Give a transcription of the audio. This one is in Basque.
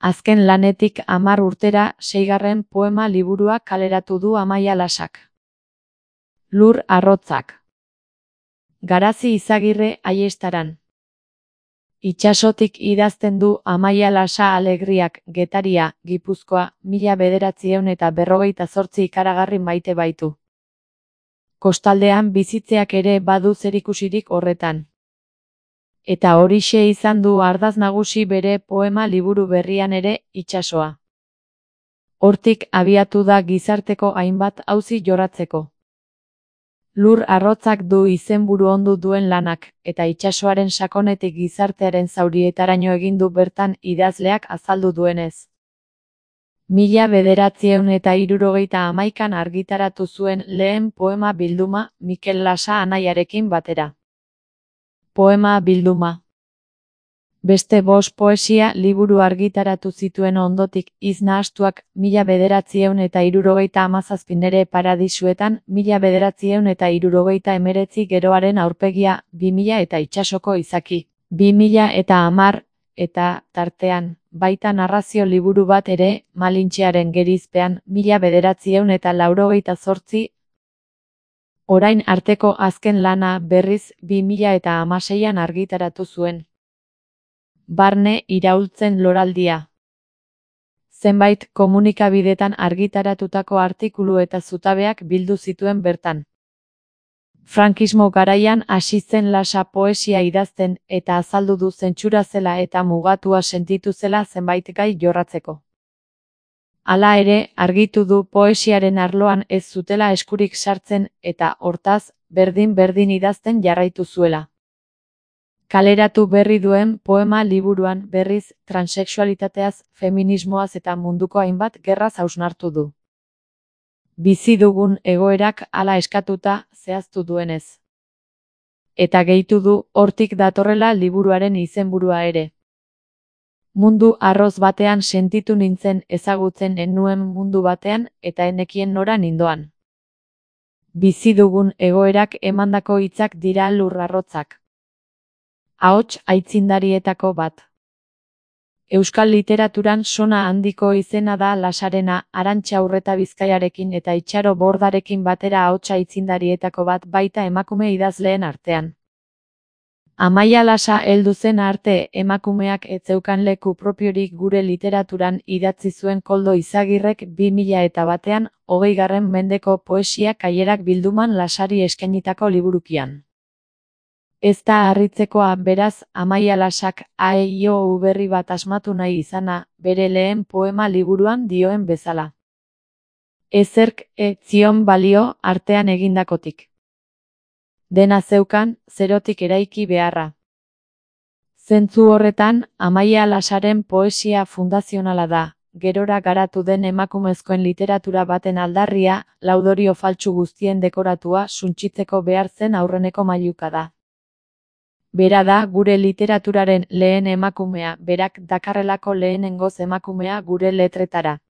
Azken lanetik 10 urtera 6. poema liburua kaleratu du Amaia Lasak. Lur arrotzak. Garazi Izagirre Aiestaran. Itsasotik idazten du Amaia Lasa Alegriak, Getaria, Gipuzkoa, 1948 ikaragarri maite baitu. Kostaldean bizitzeak ere badu zerikusirik horretan. Eta horixe izan du ardatz nagusi bere poema liburu berrian ere, itsasoa. Hortik abiatu da gizarteko hainbat auzi jorratzeko. Lur arrotzak du izenburu ondu duen lanak, eta itsasoaren sakonetik gizartearen zaurietaraino egin du bertan idazleak azaldu duenez. 1971an argitaratu zuen lehen poema bilduma Mikel Lasa anaiarekin batera. Poema bilduma. Beste 5 poesia liburu argitaratu zituen ondotik Iz nahastuak 1977 Nere paradisuetan 1979 Geroaren aurpegia 2000 eta Itsasoko izaki 2010 eta tartean baita narrazio liburu bat ere Malintxearen gerizpean 1988 orain arteko azken lana berriz 2016an argitaratu zuen. Barne iraultzen loraldia. Zenbait komunikabidetan argitaratutako artikulu eta zutabeak bildu zituen bertan. Frankismo garaian hasi zen Lasa poesia idazten eta azaldu du zentsura zela eta mugatua sentitu zela zenbait gai jorratzeko. Hala ere, argitu du poesiaren arloan ez zutela eskurik sartzen eta hortaz, berdin idazten jarraitu zuela. Kaleratu berri duen poema liburuan berriz transexualitateaz, feminismoaz eta munduko hainbat gerraz hausnartu du. Bizi dugun egoerak hala eskatuta zehaztu duenez. Eta gehitu du hortik datorrela liburuaren izenburua ere. Mundu arroz batean sentitu nintzen ezagutzen enuen mundu batean eta enekien nora nindoan. Bizi dugun egoerak emandako hitzak dira lur arrotzak. Ahots aitzindarietako bat. Euskal literaturan sona handiko izena da Lasarena, Arantxa Urreta Bizkaiarekin eta Itxaro Bordarekin batera ahots aitzindarietako bat baita emakume idazleen artean. Amaia Lasa heldu zen arte emakumeak ez zeukan leku propiorik gure literaturan idatzi zuen Koldo Izagirrek 2001an 20. mendeko poesia kailerak bilduman Lasari eskainitako liburukian. Ez da harritzekoa beraz Amaia Lasak AEIO berri bat asmatu nahi izana, bere lehen poema liburuan dioen bezala. Ezerk ez zion balio artean egindakotik. Dena zeukan, zerotik eraiki beharra. Zentzu horretan, Amaia Lasaren poesia fundazionala da, gerora garatu den emakumezkoen literatura baten aldarria, laudorio faltsu guztien dekoratua suntsitzeko behar zen aurreneko mailuka da. Bera da gure literaturaren lehen emakumea, berak dakarrelako lehenengoz emakumea gure letretara.